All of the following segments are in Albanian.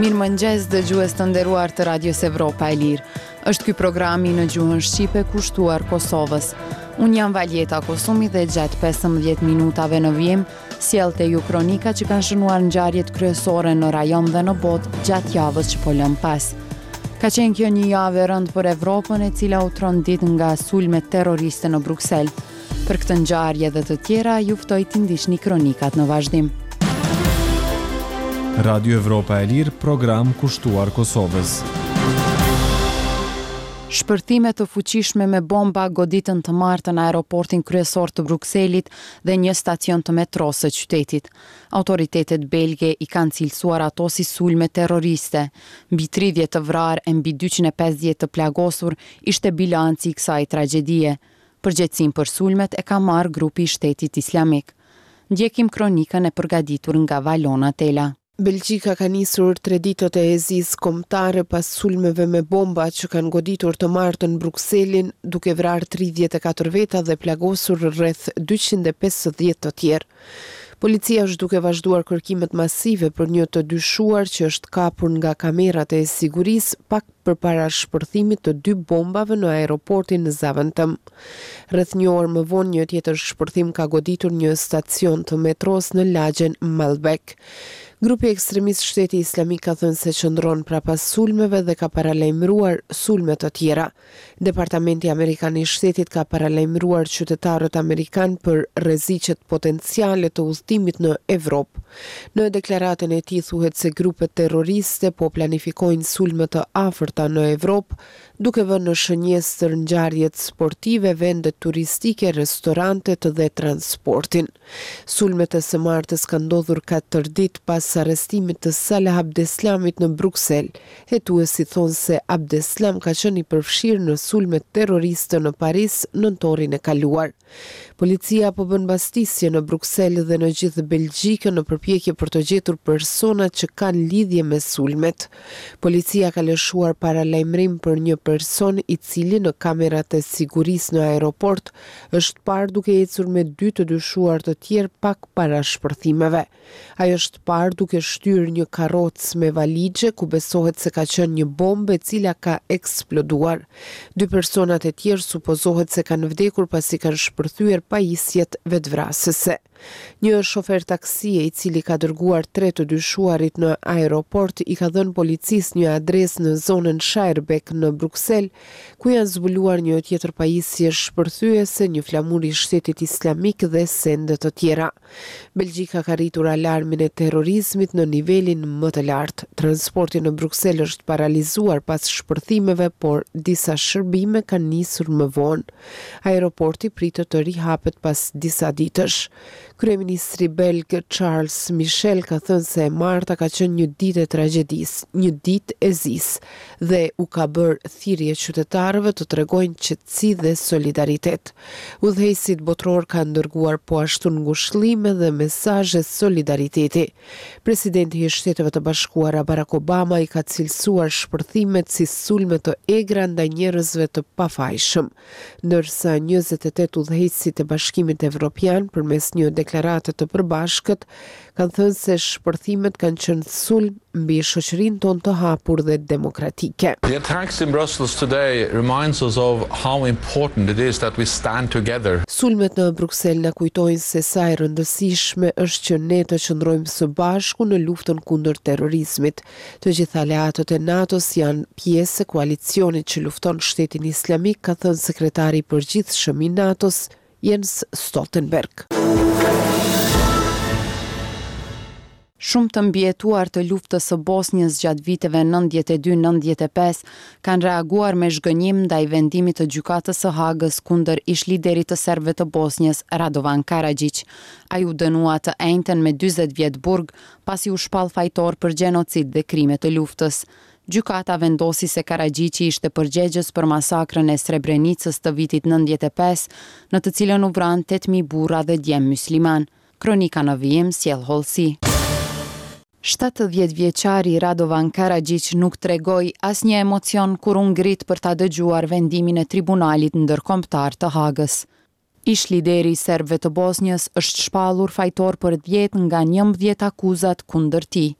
Mirëmëngjes dëgjues të nderuar të Radios Evropa e Lirë. Është ky programi në gjuhën shqipe kushtuar Kosovës. Unë jam Valjeta Kosumi dhe gjatë 15 minutave në vijim, sjell te ju kronika që kanë shënuar ngjarjet kryesore në rajon dhe në botë gjatë javës që po lëmë pas. Ka qenë kjo një javë e rëndë për Evropën e cila u trondit nga sulmet terroriste në Bruksel. Për këtë ngjarje dhe të tjera, ju ftoj t'i ndiqni kronikat në vazhdim. Radio Evropa e Lirë, program kushtuar Kosovës. Shpërthime të fuqishme me bomba goditën të martën aeroportin kryesor të Brukselit dhe një stacion të metrosë së qytetit. Autoritetet belge i kanë cilësuar ato si sulme terroriste. Mbi 30 të vrarë e mbi 250 të plagosur ishte bilanci i kësaj tragjedie. Përgjegjësinë për sulmet e ka marrë grupi i Shtetit Islamik. Ndjekim kronikën e përgatitur nga Valona Tela. Belgjika ka nisur tre ditët e zisë kombëtare pas sulmeve me bomba që kanë goditur të martën Brukselin, duke vrarë 34 veta dhe plagosur rreth 250 të tjerë. Policia është duke vazhduar kërkimet masive për një të dyshuar që është kapur nga kamerat e sigurisë pak përpara shpërthimit të dy bombave në aeroportin Zaventem. Rreth një orë më vonë një tjetër shpërthim ka goditur një stacion të metros në lagjen Maelbeek. Grupi ekstremist Shteti Islamik ka thënë se qëndron prapa sulmeve dhe ka paralajmëruar sulme të tjera. Departamenti Amerikan i Shtetit ka paralajmëruar qytetarët amerikanë për rreziqet potenciale të udhëtimit në Evropë. Në deklaratën e tij thuhet se grupet terroriste po planifikojnë sulme të afërta në Evropë, duke vënë në shënjestër ngjarjet sportive, vendet turistike, restorantet dhe transportin. Sulmet e së martës kanë ndodhur katër ditë pas arrestimit të Salah Abdeslamit në Bruksel. Hetuesit thonë se Abdeslam ka qenë i përfshirë në sulmet terroriste në Paris nëntorin e kaluar. Policia po bën bastisje në Bruksel dhe në gjithë Belgjikën në përpjekje për të gjetur personat që kanë lidhje me sulmet. Policia ka lëshuar paralajmërim për një person i cili në kamerat e sigurisë në aeroport është parë duke ecur me dy të dyshuar të tjerë pak para shpërthimeve. Ai është parë duke shtyrë një karrocë me valixhe ku besohet se ka qenë një bombë e cila ka eksploduar. Dy personat e tjerë supozohet se kanë vdekur pasi kanë shpërthyer pajisjet vetëvrasëse. Një shofer taksie i cili ka dërguar tre të dyshuarit në aeroport i ka dhënë policisë një adresë në zonën Schaerbeek në Bruksel, ku janë zbuluar një tjetër pajisje shpërthyese, një flamur i Shtetit Islamik dhe sende të tjera. Belgjika ka rritur alarmin e terrorizmit në nivelin më të lartë. Transporti në Bruksel është paralizuar pas shpërthimeve, por disa shërbime kanë nisur më vonë. Aeroporti pritet të rihapet pas disa ditësh. Kryeministri belg Charles Michel ka thënë se e marta ka qenë një ditë e tragjedisë, një ditë e zisë dhe u ka bërë thirrje qytetarëve të tregojnë qetësi dhe solidaritet. Udhëheqësit botërorë kanë dërguar po ashtu ngushëllime dhe mesazhe solidariteti. Presidenti i Shteteve të Bashkuara Barack Obama i ka cilësuar shpërthimet si sulme të egra ndaj njerëzve të pafajshëm, ndërsa 28 udhëheqësit e Bashkimit Evropian përmes një deklarate të përbashkët kanë thënë se shpërthimet kanë qenë sulm mbi shoqërinë tonë të hapur dhe demokratike. The attacks in Brussels today reminds us of how important it is that we stand together. Sulmet në Bruksel na kujtojnë se sa e rëndësishme është që ne të qëndrojmë së bashku në luftën kundër terrorizmit. Të gjithë aleatët e NATO-s janë pjesë e koalicionit që lufton Shtetin Islamik, ka thënë sekretari i përgjithshëm i NATO-s, Jens Stoltenberg. Shumë të mbijetuar të luftës së Bosnjës gjatë viteve 92-95 kanë reaguar me zhgënjim ndaj vendimit të Gjykatës së Hagës kundër ish-liderit të serbëve të Bosnjës, Radovan Karaxhiq. Ai u dënua të enjten me 40 vjet burg, pasi u shpall fajtor për gjenocid dhe krime të luftës. Gjykata vendosi se Karaxhiqi ishte përgjegjës për masakrën e Srebrenicës të vitit 95, në të cilën u vranë 8000 burra dhe djem musliman. Kronika në vijim sjell hollësi. 70 vjeçari Radovan Karaxhiq nuk tregoi asnjë emocion kur u ngrit për ta dëgjuar vendimin e Tribunalit Ndërkombëtar të Hagës. Ish lideri i serbëve të Bosnjës është shpallur fajtor për 10 nga 11 akuzat kundër tij.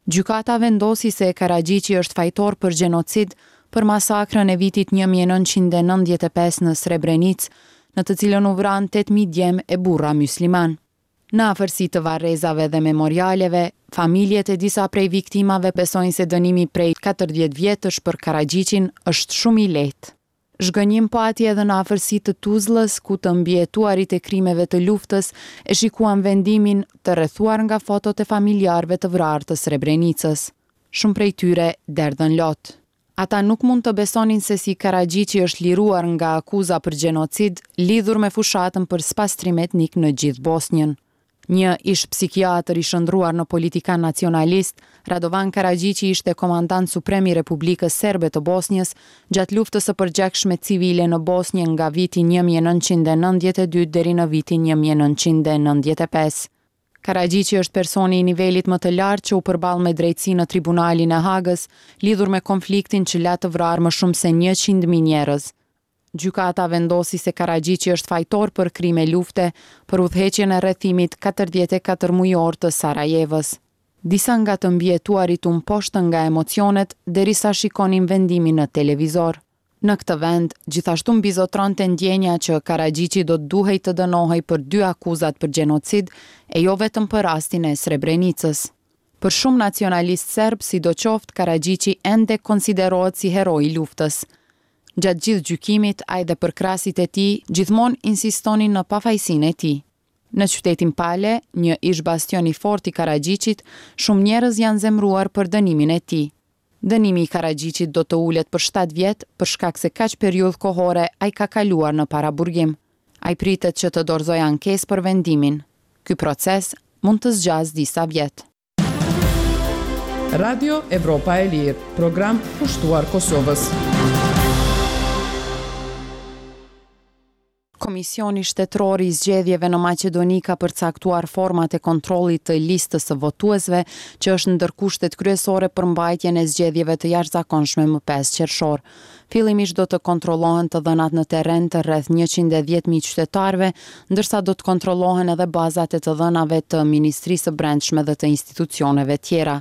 Gjykata vendosi se Karaxhiqi është fajtor për gjenocid për masakrën e vitit 1995 në Srebrenicë, në të cilën u vranë 8.000 djem e burra myslimanë. Në afërsi të varrezave dhe memorialeve, familjet e disa prej viktimave besojnë se dënimi prej 40 vjetësh për Karaxhiqin është shumë i lehtë. Zhgënjim pati edhe në afërsi të Tuzllës, ku të mbijetuarit e krimeve të luftës e shikuan vendimin të rrethuar nga fotot e familjarëve të vrarë të Srebrenicës. Shumë prej tyre derdhën lot. Ata nuk mund të besonin se si Karaxhiqi është liruar nga akuza për gjenocid lidhur me fushatën për spastrim etnik në gjithë Bosnjën. Një ish-psikiatër i shndërruar në politikan nacionalist, Radovan Karaxhiqi ishte komandant suprem i Republikës Serbe të Bosnjës gjatë luftës së përgjakshme civile në Bosnjë nga viti 1992 deri në vitin 1995. Karaxhiqi është personi i nivelit më të lartë që u përball me drejtësi në Tribunalin e Hagës, lidhur me konfliktin që la të vrarë më shumë se 100.000 njerëz. Gjykata vendosi se Karaxhiqi është fajtor për krime lufte për udhëheqjen e rrethimit 44 mujor të Sarajevës. Disa nga të mbijetuarit u mposhtën nga emocionet derisa shikonin vendimin në televizor. Në këtë vend, gjithashtu mbizotronte ndjenja që Karaxhiqi do të duhej të dënohej për dy akuzat për gjenocid e jo vetëm për rastin e Srebrenicës. Për shumë nacionalistë serbë, sidoqoftë, Karaxhiqi ende konsiderohet si hero i luftës. Gjatë gjithë gjykimit, ai dhe përkrahësit e tij gjithmonë insistonin në pafajësinë e tij. Në qytetin Pale, një ish-bastion i fortë i Karaxhiqit, shumë njerëz janë zemëruar për dënimin e tij. Dënimi i Karaxhiqit do të ulet për 7 vjet, për shkak se kaq periudhë kohore ai ka kaluar në paraburgim. Ai pritet që të dorëzojë ankesë për vendimin. Ky proces mund të zgjasë disa vjet. Radio Evropa e Lirë, program kushtuar Kosovës. Komisioni Shtetëror i Zgjedhjeve në Maqedoni ka përcaktuar format e kontrollit të listës së votuesve, që është ndër kushtet kryesore për mbajtjen e zgjedhjeve të jashtëzakonshme më 5 qershor. Fillimisht do të kontrollohen të dhënat në terren të rreth 110.000 qytetarëve, ndërsa do të kontrollohen edhe bazat e të dhënave të Ministrisë së Brendshme dhe të institucioneve tjera.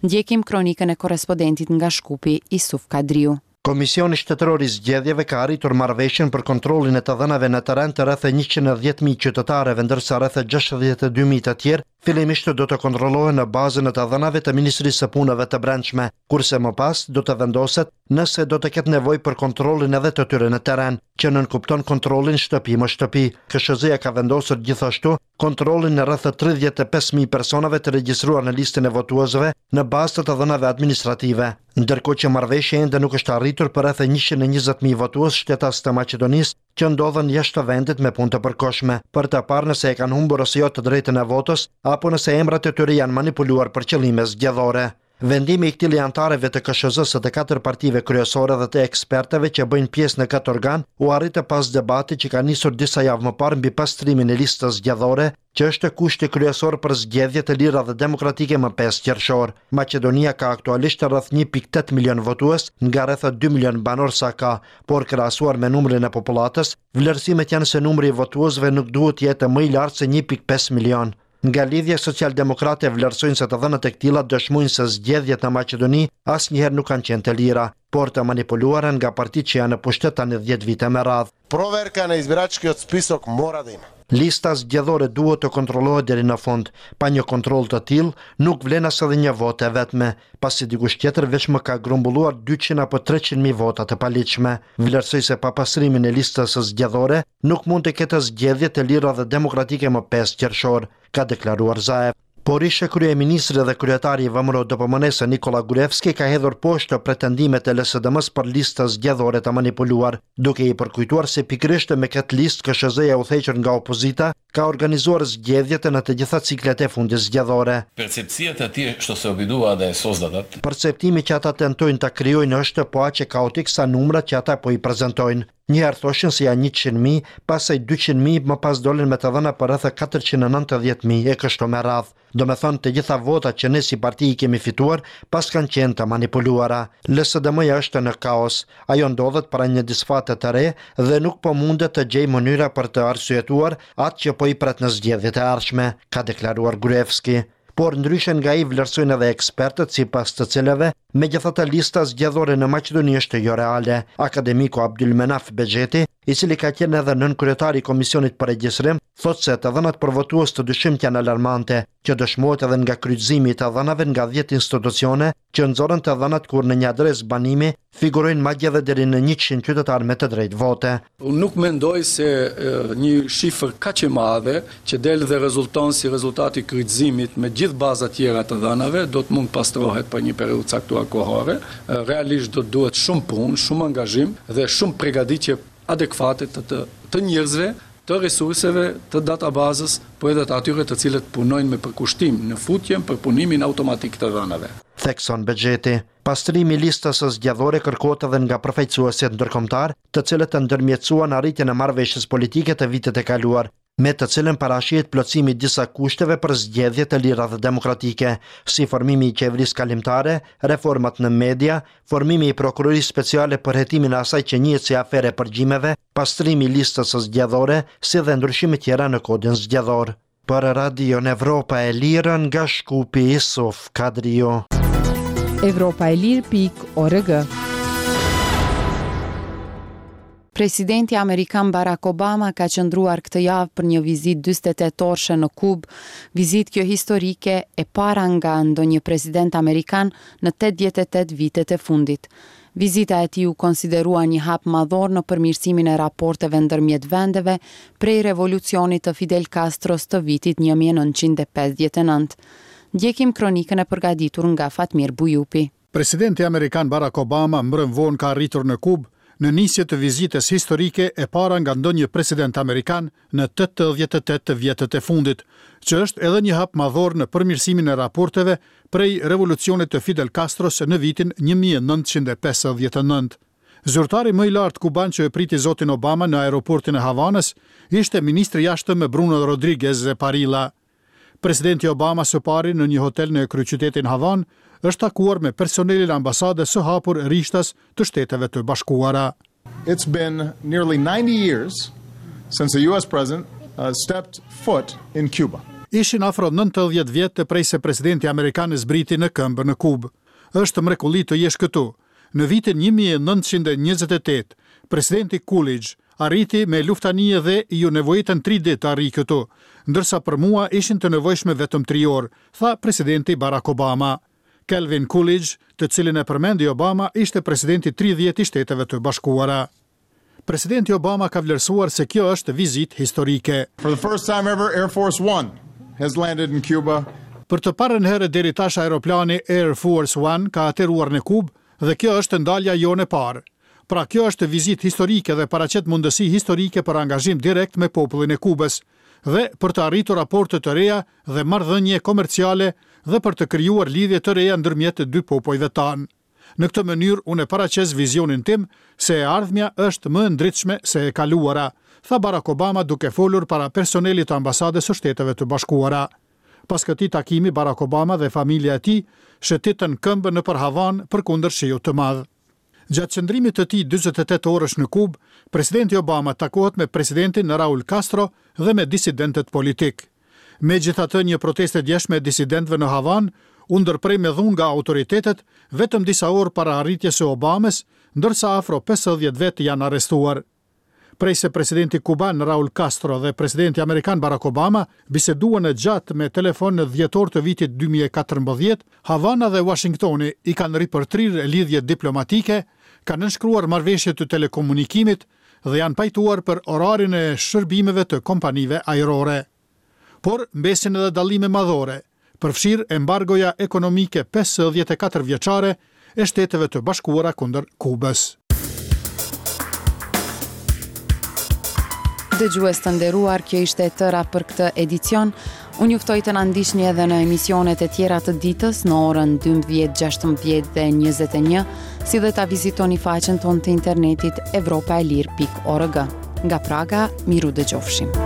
Ndjekim kronikën e korrespondentit nga Shkupi, Isuf Kadriu. Komisioni Shtetëror i Zgjedhjeve ka arritur marrëveshjen për kontrollin e të dhënave në terren të rreth 110.000 qytetarëve, ndërsa rreth 62.000 të tjerë fillimisht do të kontrollohen në bazën e të dhënave të Ministrisë së Punëve të Brendshme, kurse më pas do të vendoset nëse do të ketë nevojë për kontrollin edhe të tyre në terren, që nënkupton kontrollin shtëpi më shtëpi. KSHZ-ja ka vendosur gjithashtu kontrollin e rreth 35.000 personave të regjistruar në listën e votuesve në bazë të të dhënave administrative. Ndërkohë që marrëveshja ende nuk është arritur për rreth 120.000 votues shtetas të Maqedonisë që ndodhen jashtë vendit me punë të përkohshme, për të parë nëse e kanë humbur ose jo të drejtën e votës, apo nëse emrat e tyre janë manipuluar për qëllime zgjedhore. Vendimi i këtij anëtarëve të KSHZ-së të katër partive kryesore dhe të ekspertëve që bëjnë pjesë në këtë organ u arritë pas debatit që ka nisur disa javë më parë mbi pastrimin e listës zgjedhore, që është kushti kryesor për zgjedhje të lira dhe demokratike më 5 qershor. Maqedonia ka aktualisht rreth 1.8 milion votues nga rreth 2 milion banorë sa ka, por krahasuar me numrin e popullatës, vlerësimet janë se numri i votuesve nuk duhet të jetë më i lartë se 1.5 milion. Nga Lidhja Socialdemokrate vlerësojnë se të dhënat e këtilla dëshmojnë se zgjedhjet në Maqedoni asnjëherë nuk kanë qenë të lira, por të manipuluara nga partitë që janë në pushtet tani 10 vite me radhë. Проверка на избирачкиот список мора да има. Lista zgjedhore duhet të kontrollohet deri në fund. Pa një kontroll të tillë, nuk vlen as edhe një votë e vetme, pasi dikush tjetër veç më ka grumbulluar 200 apo 300 mijë vota të paligjshme. Vlerësoj se pa pastrimin e listës zgjedhore nuk mund të ketë zgjedhje të lira dhe demokratike më 5 qershor, ka deklaruar Zaev. Por ishe kryeministri dhe kryetari i VMRO DPMNE-së Nikola Gruevski ka hedhur poshtë pretendimet e LSDM-s për listë zgjedhore të manipuluar, duke i përkujtuar se pikërisht me këtë listë KSHZ-ja udhëhequr nga opozita ka organizuar zgjedhjet në të gjitha ciklet e fundit zgjedhore. Percepцијата тие што се обидуваат да ја создадат. Perceptimi që ata tentojnë ta krijojnë është po aq kaotik sa numrat që ata po i prezantojnë. Një herë thoshin se janë 100.000, pastaj 200.000, më pas dolën me të dhëna për rreth 490.000 e kështu me radhë. Do me thënë të gjitha votat që ne si parti i kemi fituar, pas kanë qenë të manipuluara. LSDM-ja është në kaos. Ajo ndodhet para një disfate të re dhe nuk po mundet të gjejë mënyra për të arsyetuar atë që po i pret në zgjedhjet e ardhshme, ka deklaruar Gruevski. Por ndryshe nga ai vlerësojnë edhe ekspertët sipas të cilëve, megjithatë lista zgjedhore në Maqedoni është joreale. Akademiku Abdylmenaf Bexheti, i cili ka qenë edhe nënkryetar i Komisionit për Regjistrim, thotë se të dhënat për votues të dyshimtë janë alarmante, që dëshmohet edhe nga kryqëzimi i të dhënave nga 10 institucione që nxorën të dhënat kur në një adresë banimi figurojnë madje edhe deri në 100 qytetarë me të drejtë vote. Unë nuk mendoj se një shifër kaq e madhe që del dhe rezulton si rezultat i kryqëzimit me gjithë bazat tjera të dhënave do të mund të pastrohet për një periudhë të caktuar kohore. Realisht do të duhet shumë punë, shumë angazhim dhe shumë pregaditje adekuate të të, të njerëzve, të resurseve, të databazës, po edhe të atyre të cilët punojnë me përkushtim në futjen, përpunimin automatik të dhënave. Thekson Bexheti. Pastrimi i listës zgjedhore kërkohet edhe nga përfaqësuesit ndërkombëtarë, të cilët ndërmjetësuan arritjen e marrëveshjes politike të vitit të kaluar, me të cilën parashihet plotësimi i disa kushteve për zgjedhje të lira dhe demokratike, si formimi i qeverisë kalimtare, reformat në media, formimi i prokurorisë speciale për hetimin e asaj që njihet si aferë e përgjimeve, pastrimi i listës zgjedhore, si dhe ndryshime tjera në kodin zgjedhor. Për Radion Evropa e Lirë nga Shkupi Isuf Kadriu. Evropa e Lirë pikë org. Presidenti amerikan Barack Obama ka qëndruar këtë javë për një vizitë 48 orëshe në Kubë, vizitë kjo historike e para nga ndonjë president amerikan në 88 vitet e fundit. Vizita e tij u konsiderua një hap madhor në përmirësimin e raporteve ndërmjet vendeve prej revolucionit të Fidel Castros të vitit 1959. Ndjekim kronikën e përgatitur nga Fatmir Bujupi. Presidenti amerikan Barack Obama mbrëmë vonë ka arritur në Kubë, në nisje të vizitës historike e para nga ndonjë president amerikan në 88 vjetët e fundit, që është edhe një hap madhor në përmirësimin e raporteve prej revolucionit të Fidel Castros në vitin 1959. Zyrtari më i lartë kuban që e priti zotin Obama në aeroportin e Havanës ishte ministri i jashtëm Bruno Rodriguez Parrilla. Presidenti Obama së pari në një hotel në kryeqytetin Havanë është takuar me personelin e ambasadës së hapur rishtas të Shteteve të Bashkuara. It's been nearly 90 years since a US president uh, stepped foot in Cuba. Ishin afro 90 vjet prej se presidenti amerikan zbriti në këmbë në Kubë. Është mrekulli të jesh këtu. Në vitin 1928, presidenti Coolidge arriti me luftanije dhe iu nevojitën tri ditë të arrijë këtu, ndërsa për mua ishin të nevojshme vetëm tri orë, tha presidenti Barack Obama. Calvin Coolidge, të cilin e përmendi Obama, ishte presidenti 30 i Shteteve të Bashkuara. Presidenti Obama ka vlerësuar se kjo është vizitë historike. For the first time ever, Air Force One has landed in Cuba. Për të parën herë deri tash aeroplani Air Force One ka ateruar në Kubë dhe kjo është ndalja jonë e parë. Pra kjo është vizitë historike dhe paraqet mundësi historike për angazhim direkt me popullin e Kubës dhe për të arritur raporte të reja dhe marrëdhënie komerciale dhe për të krijuar lidhje të reja ndërmjet dy popujve tanë. Në këtë mënyrë unë e paraqes vizionin tim se e ardhmja është më e ndritshme se e kaluara, tha Barack Obama duke folur para personelit të ambasadës së Shteteve të Bashkuara. Pas këtij takimi Barack Obama dhe familja e tij shëtitën këmbë nëpër Havanë përkundër shiut të madh. Gjatë qëndrimit të tij 48 orësh në Kubë, presidenti Obama takohet me presidentin Raul Castro dhe me disidentët politikë. Megjithatë, një protestë e djeshme e disidentëve në Havanë u ndërpre me dhunë nga autoritetet vetëm disa orë para arritjes së Obamës, ndërsa afro 50 vetë janë arrestuar. Prej se presidenti kuban Raul Castro dhe presidenti amerikan Barack Obama biseduan gjatë me telefon në dhjetor të vitit 2014, Havana dhe Washingtoni i kanë ripërtrirë lidhjet diplomatike, kanë nënshkruar marrëveshje të telekomunikimit dhe janë pajtuar për orarin e shërbimeve të kompanive ajrore. Por mbesin edhe dallime madhore, përfshirë embargoja ekonomike 54 vjeçare e Shteteve të Bashkuara kundër Kubës. Dëgjues të nderuar, kjo ishte e tëra për këtë edicion. Unë ju ftoj të na ndiqni edhe në emisionet e tjera të ditës në orën 12, 16 dhe 21, si dhe ta vizitoni faqen tonë të internetit evropaelire.org. Nga Praga, mirudëgjofshim.